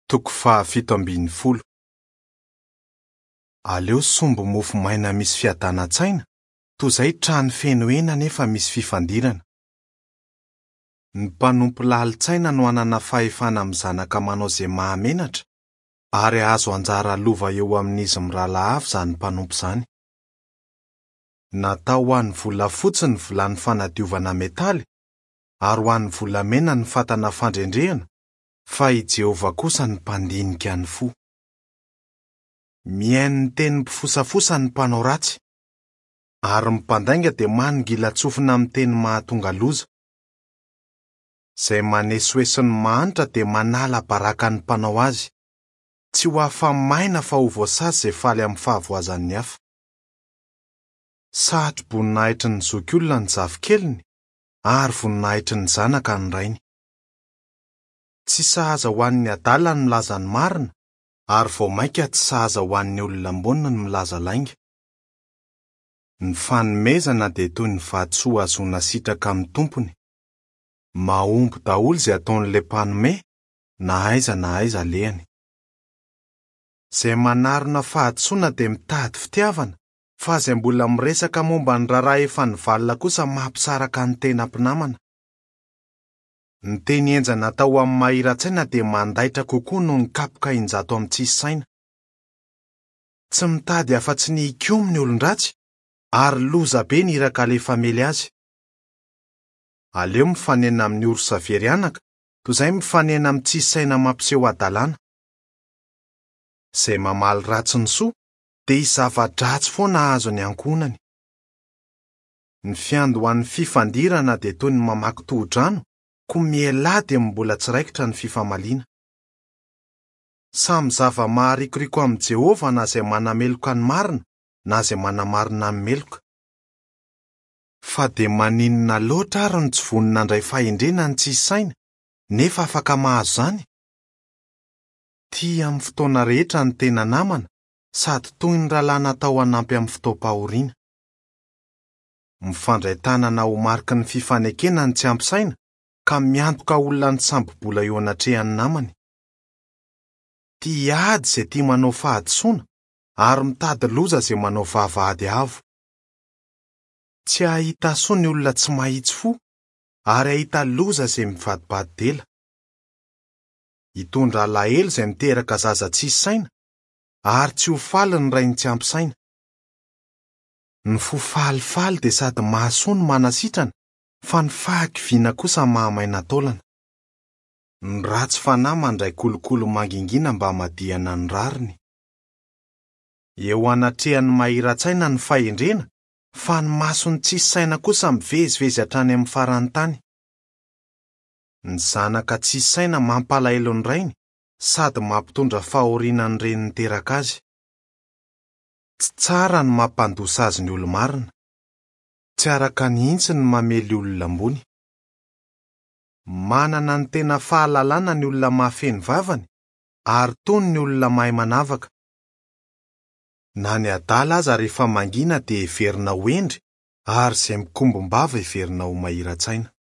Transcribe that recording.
Toko faha-17. Aleo sombi-mofo maina misy fiadanan-tsaina toy izay trano feno hena nefa misy fifandirana. Ny mpanompo lalin-tsaina no hanana fahefana amin'ny zanaka manao izay mahamenatra, ary hahazo anjara lova eo amin'izy mirahalahy avy izany mpanompo izany. Natao ho an'ny volafotsy ny vilany fanadiovana metaly, ary ho an'ny volamena ny fatana fandrendrehana, fa i Jehovah kosa no mpandinika ny fo. Mihaino ny tenin'ny mpifosafosa ny mpanao ratsy, ary ny mpandainga dia manongilan-tsofina amin'ny teny mahatonga loza. Izay manesoeso ny mahantra dia manala baraka ny mpanao azy. Tsy ho afa-maina fa ho voasazy izay faly amin'ny fahavoazan'ny hafa. Satro-boninahitry ny zokiolona ny zafikeliny, ary voninahitry ny zanaka ny rainy. Tsy sahaza ho an'ny adala ny milaza ny marina, ary vao mainka tsy sahaza ho an'ny olona ambony ny milaza lainga. Ny fanomezana dia toy ny vatosoa ahazoana sitraka amin'ny tompony. Mahomby daholo izay ataon'ilay mpanome, na aiza na aiza alehany. Izay manarona fahadisoana dia mitady fitiavana, fa izay mbola miresaka momba ny raharaha efa nivalona kosa mampisaraka ny tena mpinamana. Ny teny henjana atao amin'ny mahira-tsaina dia mandaitra kokoa noho ny kapoka 100 amin'ny tsisy saina. Tsy mitady afa-tsy ny hikomy ny olon-dratsy, ary loza be ny iraka alefa hamely azy. Aleo mifanena amin'ny orsa very anaka, toy izay mifanena amin'ny tsisy saina mampiseho hadalana. Izay mamaly ratsy ny soa, dia hisy zava-dratsy foana hahazo ny ankohonany. Ny fiandohan'ny fifandirana dia toy ny mamaky tohodrano, koa mialà dia mbola tsy raikitra ny fifamaliana. Samy zava-maharikoriko amin'i Jehovah na izay manameloka ny marina na izay manamarina ny meloka. Fa dia maninona loatra ary no tsy vonona handray fahendrena ny tsisy saina, nefa afaka mahazo izany? Tia amin'ny fotoana rehetra ny tena namana, sady toy ny rahalahy natao hanampy amin'ny fotoam-pahoriana. Mifandray tanana ho mariky ny fifanekena ny tsy ampy saina ka miantoka olona nisambo-bola eo anatrehan'ny namany. Tia ady izay tia manao fahadisoana ary mitady loza izay manao vava ady avo. Tsy hahita soa ny olona tsy mahitsy fo ary hahita loza izay mivadibadi-dela. Hitondra alahelo izay miteraka zaza tsisy saina ary tsy ho faly ny rainy tsy ampy saina. Ny fo falifaly dia sady mahasoa no manasitrana, fa ny fahakiviana kosa mahamaina taolana. Ny ratsy fanahy mandray kolikoly mangingina mba hamadihana ny rariny. Eo anatrehan'ny mahira-tsaina ny fahendrena, fa ny mason'ny tsisy saina kosa mivezivezy hatrany amin'ny faran'ny tany. Ny zanaka tsisy saina mampalahelo ny rainy sady mampitondra fahoriana ny reny niteraka azy. Tsy tsara ny mampandoa sazy ny olo-marina. Tsy araka ny hintsy ny mamely olona ambony. Manana ny tena fahalalana ny olona mahafehy ny vavany, ary tony ny olona mahay manavaka. Na ny adala aza rehefa mangina dia heverina ho hendry, ary izay mikombom-bava heverina ho mahira-tsaina.